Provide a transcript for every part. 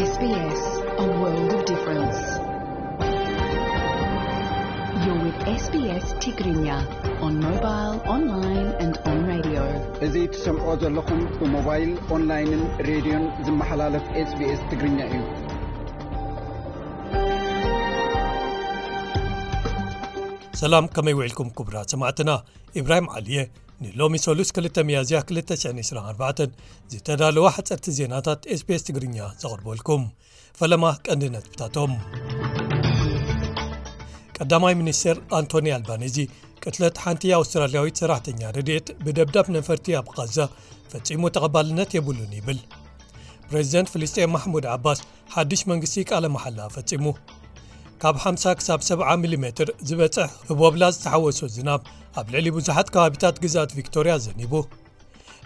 S B S, a world of difference. You're with S B S Tigrinya on mobile, online and on radio. እዚ ትሰምዖ ዘለኹም ብሞባይል፣ ኦንላይንን ሬድዮን ዝመሓላለፍ SBS ትግርኛ እዩ። ሰላም፣ ከመይ ውዒልኩም ክቡራት ሰማዕትና? ኢብራሂም ዓሊየ ንሎሚ ሰሉስ ክልተ ሚያዝያ ክልተ ሽሕን ዕስራን ኣርባዕተን ዝተዳለዋ ሓጸርቲ ዜናታት SBS ትግርኛ ዘቕርበልኩም። ፈለማ ቀንዲ ነጥብታቶም። ቀዳማይ ሚኒስትር ኣንቶኒ ኣልባኒዚ ቅትለት ሓንቲ ኣውስትራልያዊት ሰራሕተኛ ረድኤት ብደብዳብ ነፈርቲ ኣብ ቃዛ ፈጺሙ ተቐባልነት የብሉን ይብል። ፕሬዚደንት ፍልስጤም ማሕሙድ ዓባስ ሓድሽ መንግስቲ ቃለ መሓላ ፈጺሙ። ካብ ሓምሳ ክሳብ ሰብዓ ሚሊ ሜትር ዝበጽሕ ህቦብላ ዝተሓወሶ ዝናብ ኣብ ልዕሊ ብዙሓት ከባቢታት ግዝኣት ቪክቶርያ ዘኒቡ።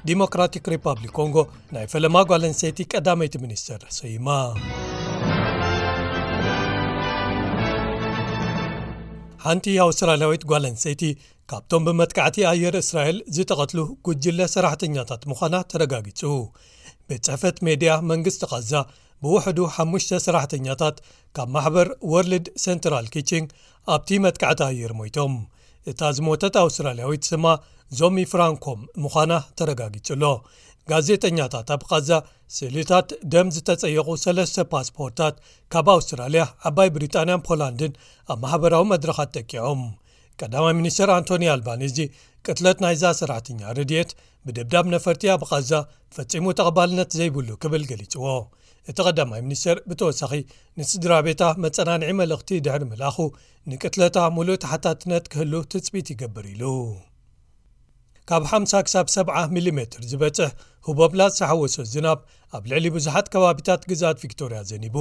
ዲሞክራቲክ ሪፓብሊክ ኮንጎ ናይ ፈለማ ጓል ኣንስተይቲ ቀዳመይቲ ሚኒስትር ሰይማ። ሓንቲ ኣውስትራልያዊት ጓል ኣንስተይቲ ካብቶም ብመጥቃዕቲ ኣየር እስራኤል ዝተቐትሉ ጉጅለ ሰራሕተኛታት ምዃና ተረጋጊጹ። ቤት ጽሕፈት ሜድያ መንግስቲ ቃዛ ብውሕዱ ሓሙሽተ ሰራሕተኛታት ካብ ማሕበር ወርልድ ሴንትራል ኪችን ኣብቲ መጥቃዕቲ ኣየር ሞይቶም። እታ ዝሞተት ኣውስትራልያዊት ስማ ዞሚ ፍራንኮም ምዃና ተረጋጊጹ ኣሎ። ጋዜጠኛታት ኣብ ቃዛ ስእልታት ደም ዝተጸየቑ ሰለስተ ፓስፖርታት ካብ ኣውስትራልያ፣ ዓባይ ብሪጣንያን ፖላንድን ኣብ ማሕበራዊ መድረኻት ጠቂዖም። ቀዳማይ ሚኒስትር ኣንቶኒ ኣልባኒዚ ቅትለት ናይዛ ሰራሕተኛ ረድኤት ብደብዳብ ነፈርቲ ኣብ ቃዛ ፈጺሙ ተቐባልነት ዘይብሉ ክብል ገሊጽዎ። እቲ ቀዳማይ ሚኒስትር ብተወሳኺ ንስድራ ቤታ መጸናንዒ መልእኽቲ ድሕሪ ምልኣኹ፣ ንቅትለታ ሙሉእ ተሓታትነት ክህሉ ትጽቢት ይገብር ኢሉ። ካብ ሓምሳ ክሳብ ሰብዓ ሚሊ ሜትር ዝበጽሕ ህቦብላ ዝተሓወሶ ዝናብ ኣብ ልዕሊ ብዙሓት ከባቢታት ግዝኣት ቪክቶርያ ዘኒቡ።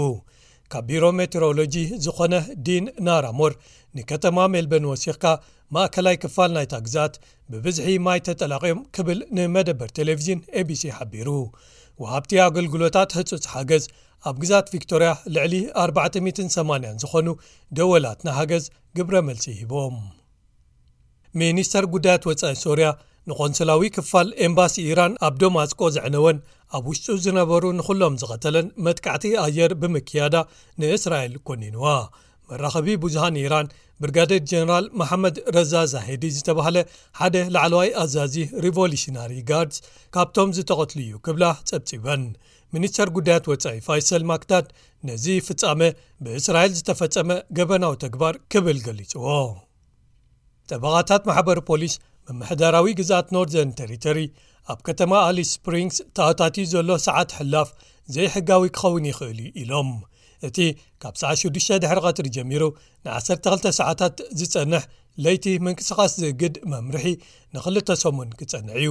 ካብ ቢሮ ሜትሮሎጂ ዝኾነ ዲን ናራሞር፣ ንከተማ ሜልበርን ወሲኽካ ማእከላይ ክፋል ናይታ ግዝኣት ብብዝሒ ማይ ተጠላቕዮም ክብል ንመደበር ቴሌቪዥን ኤቢሲ ሓቢሩ። ወሃብቲ ኣገልግሎታት ህጹጽ ሓገዝ ኣብ ግዝኣት ቪክቶርያ ልዕሊ ኣርባዕተ ሚእትን ሰማንያን ዝኾኑ ደወላት ንሓገዝ ግብረ መልሲ ሂቦም። ሚኒስተር ጉዳያት ወጻኢ ሶርያ ንቆንስላዊ ክፋል ኤምባሲ ኢራን ኣብ ደማስቆ ዘዕነወን ኣብ ውሽጡ ዝነበሩ ንኹሎም ዝቐተለን መጥቃዕቲ ኣየር ብምክያዳ ንእስራኤል ኮኒንዋ። መራኸቢ ብዙሃን ኢራን ብርጋዴር ጀነራል መሓመድ ረዛ ዛሄዲ ዝተባህለ ሓደ ላዕለዋይ ኣዛዚ ሪቮሉሽናሪ ጋርድስ ካብቶም ዝተቐትሉ እዩ ክብላ ጸብጺበን። ሚኒስተር ጉዳያት ወጻኢ ፋይሰል ማክዳድ ነዚ ፍጻመ ብእስራኤል ዝተፈጸመ ገበናዊ ተግባር ክብል ገሊጽዎ። ጠበቓታት ማሕበር ፖሊስ ምምሕዳራዊ ግዝኣት ኖርዘርን ቴሪቶሪ ኣብ ከተማ ኣሊስ ስፕሪንግስ ተኣታትዩ ዘሎ ሰዓት ሕላፍ ዘይሕጋዊ ክኸውን ይኽእል እዩ ኢሎም። እቲ ካብ ሰዓት ሽዱሽተ ድሕሪ ቀትሪ ጀሚሩ ንዓሰርተ ክልተ ሰዓታት ዝጸንሕ ለይቲ ምንቅስቓስ ዝእግድ መምርሒ ንኽልተ ሰሙን ክጸንዕ እዩ።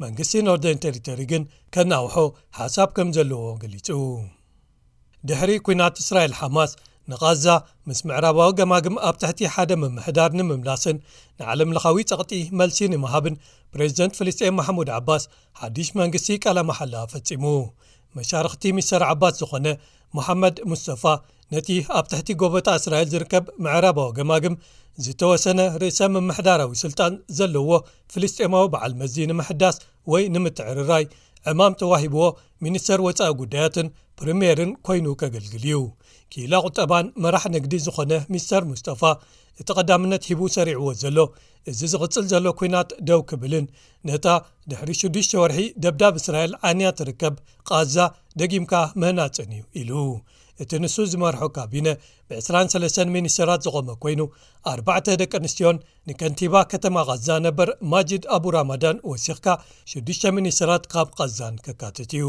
መንግስቲ ኖርዘርን ቴሪቶሪ ግን ከናውሖ ሓሳብ ከም ዘለዎ ገሊጹ። ድሕሪ ኲናት እስራኤል ሓማስ ንቓዛ ምስ ምዕራባዊ ገማግም ኣብ ትሕቲ ሓደ ምምሕዳር ንምምላስን ንዓለም ለኻዊ ጸቕጢ መልሲ ንምሃብን ፕሬዚደንት ፍልስጤም ማሕሙድ ዓባስ ሓድሽ መንግስቲ ቃለ መሓላ ፈጺሙ። መሻርኽቲ ሚስተር ዓባስ ዝኾነ መሓመድ ሙስተፋ ነቲ ኣብ ትሕቲ ጎበጣ እስራኤል ዝርከብ ምዕራባዊ ገማግም ዝተወሰነ ርእሰ ምምሕዳራዊ ስልጣን ዘለዎ ፍልስጤማዊ በዓል መዚ ንምሕዳስ ወይ ንምትዕርራይ ዕማም ተዋሂብዎ ሚኒስተር ወጻኢ ጉዳያትን ፕሪምየርን ኮይኑ ከገልግል እዩ። ክኢላ ቁጠባን መራሕ ንግዲ ዝኾነ ሚስተር ሙስጠፋ፣ እቲ ቀዳምነት ሂቡ ሰሪዕዎ ዘሎ እዚ ዝቕጽል ዘሎ ኲናት ደው ክብልን ነታ ድሕሪ ሽዱሽተ ወርሒ ደብዳብ እስራኤል ዓንያ ትርከብ ቓዛ ደጊምካ ምህናጽን እዩ ኢሉ። እቲ ንሱ ዝመርሖ ካቢነ ብ ዕስራን ሰለስተን ሚኒስተራት ዝቖመ ኮይኑ፣ ኣርባዕተ ደቂ ኣንስትዮን ንከንቲባ ከተማ ቓዛ ነበር ማጂድ ኣቡ ራማዳን ወሲኽካ ሽዱሽተ ሚኒስተራት ካብ ቓዛን ከካትት እዩ።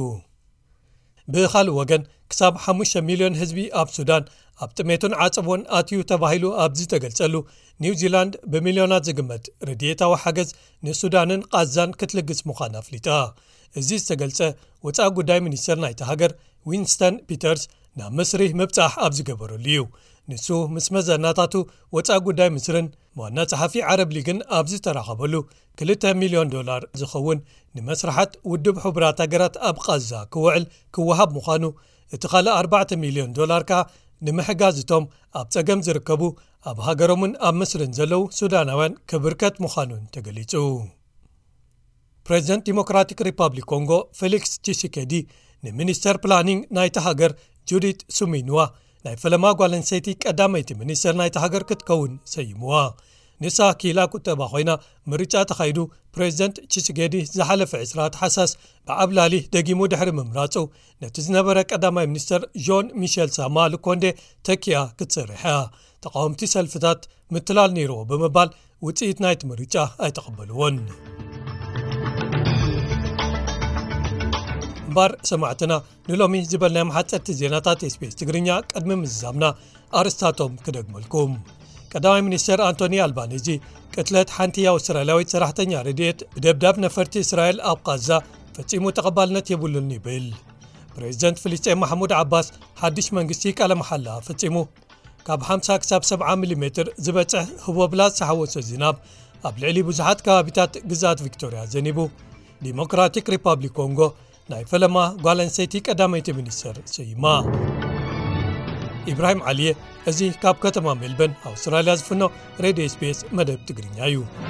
ብኻልእ ወገን፣ ክሳብ ሓሙሽተ ሚልዮን ህዝቢ ኣብ ሱዳን ኣብ ጥሜትን ዓጸቦን ኣትዩ ተባሂሉ ኣብ ዝተገልጸሉ፣ ኒውዚላንድ ብሚልዮናት ዝግመት ረድኤታዊ ሓገዝ ንሱዳንን ቓዛን ክትልግስ ምዃና ኣፍሊጣ። እዚ ዝተገልጸ፣ ወጻኢ ጉዳይ ሚኒስተር ናይታ ሃገር ዊንስተን ፒተርስ ናብ ምስሪ ምብጻሕ ኣብ ዝገበረሉ እዩ። ንሱ ምስ መዘናታቱ ወጻኢ ጉዳይ ምስርን ዋና ጸሓፊ ዓረብ ሊግን ኣብ ዝተራኸበሉ፣ ክልተ ሚልዮን ዶላር ዝኸውን ንመስርሓት ውድብ ሕቡራት ሃገራት ኣብ ቓዛ ክውዕል ክወሃብ ምዃኑ፣ እቲ ካልእ ኣርባዕተ ሚልዮን ዶላር ከኣ ንምሕጋዝ እቶም ኣብ ጸገም ዝርከቡ ኣብ ሃገሮምን ኣብ ምስርን ዘለዉ ሱዳናውያን ክብርከት ምዃኑን ተገሊጹ። ፕሬዚደንት ዲሞክራቲክ ሪፓብሊክ ኮንጎ ፌሊክስ ቺሲኬዲ ንሚኒስተር ፕላኒንግ ናይታ ሃገር ጁዲት ሱሚንዋ ናይ ፈለማ ጓል ኣንስተይቲ ቀዳመይቲ ሚኒስተር ናይቲ ሃገር ክትከውን ሰይምዋ። ንሳ ክኢላ ቁጠባ ኮይና፣ ምርጫ ተኻይዱ ፕሬዚደንት ቺስጌዲ ዝሓለፈ ዕስራ ታሕሳስ ብዓብላሊ ደጊሙ ድሕሪ ምምራጹ፣ ነቲ ዝነበረ ቀዳማይ ሚኒስተር ዦን ሚሸል ሳማ ሉኮንዴ ተኪኣ ክትሰርሕ እያ። ተቃወምቲ ሰልፍታት ምትላል ነይርዎ ብምባል ውጽኢት ናይቲ ምርጫ ኣይተቐበልዎን። እምበር ሰማዕትና፣ ንሎሚ ዝበልናዮም ሓጸርቲ ዜናታት ኤስቢኤስ ትግርኛ ቅድሚ ምዝዛምና ኣርስታቶም ክደግመልኩም። ቀዳማይ ሚኒስተር ኣንቶኒ ኣልባኒዚ ቅትለት ሓንቲ ኣውስትራልያዊት ሰራሕተኛ ረድኤት ብደብዳብ ነፈርቲ እስራኤል ኣብ ቃዛ ፈጺሙ ተቐባልነት የብሉን ይብል። ፕሬዚደንት ፍልስጤም ማሕሙድ ዓባስ ሓድሽ መንግስቲ ቃለ መሓላ ፈጺሙ። ካብ ሓምሳ ክሳብ ሰብዓ ሚሊሜትር ዝበጽሕ ህቦብላ ዝተሓወሶ ዝናብ ኣብ ልዕሊ ብዙሓት ከባቢታት ግዝኣት ቪክቶርያ ዘኒቡ። ዲሞክራቲክ ሪፓብሊክ ኮንጎ ናይ ፈለማ ጓል ኣንስተይቲ ቀዳመይቲ ሚኒስተር ሰይማ። ኢብራሂም ዓሊየ፣ እዚ ካብ ከተማ ሜልበርን ኣውስትራልያ ዝፍኖ ሬድዮ ኤስቢኤስ መደብ ትግርኛ እዩ።